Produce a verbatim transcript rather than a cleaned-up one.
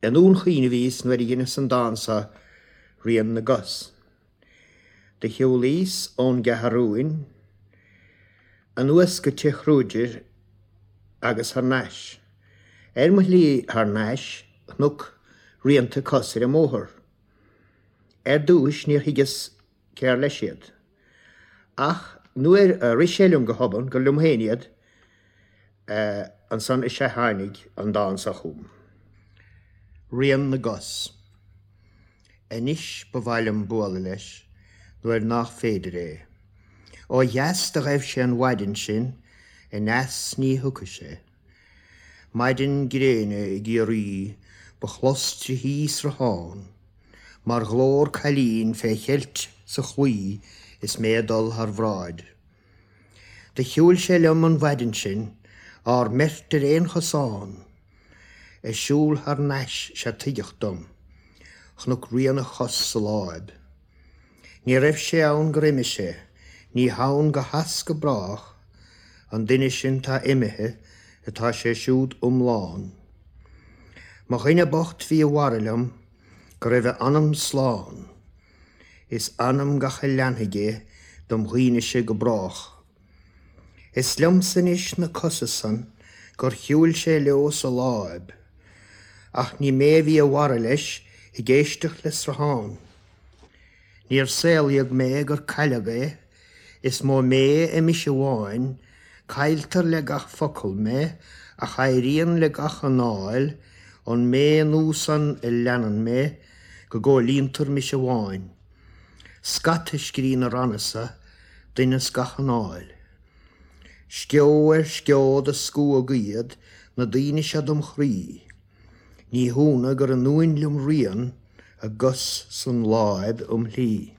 I nDún Chaoin a bhíos nuair a dheineas an dán seo, Rian na gCos. Do shiúlaíos ón gCeathrúin anuas go Tigh Kruger agus thar n-ais. Ar mo shlí thar n-ais chonac rianta cos ar an mbóthar. Ar dtús níor thuigeas cér leis iad. Ach nuair a rith sé liom go hobann gur liom féin iad, eh, ansan is ea tháinig an dán seo chugam. Rian na gCos. Anois ba mhaith liom bualadh leis nuair nach féidir é. Ó dheas do ghaibh sé an mhaidin sin, aneas ní thiocfaidh sé. Maidin gréine i gCiarraí ba chlos tríthi sruthán, mar ghlór cailín fé cheilt sa chlaí is mé ag dul thar bhráid. Do shiúil sé liom an mhaidin sin, ár mbeirt ar aon chosán, ag siúl thar n-ais sé tuigeadh dom, chonac rian a chos sa láib. Ní raibh sé ann gur imigh sé, ní hann go has go brách, an duine sin tá imithe atá sé siúd iomlán. Mo dhuine bocht bhí i bhfara liom go raibh a anam slán, is anam gach a leanfaidh é dom dhaoine-se go brách. Is liomsa anois na cosa san gur shiúil sé leo sa láib, ach ní mé a bhí i bhfara leis ag éisteacht le sruthán. Níor saolaíodh mé gur cailleadh é, is mó mé i mise amháin, cailltear le gach focal mé ach éiríonn le gach anáil, an mé nua san a leanann mé go gcomhlíontar mise amháin. Scata scrí na ranna seo, duine as gach anáil. Sceo ar sceo do scuab iad na daoine seo dom chroí. Ní hionadh gur anúin liom rian a gcos san láib um shlí.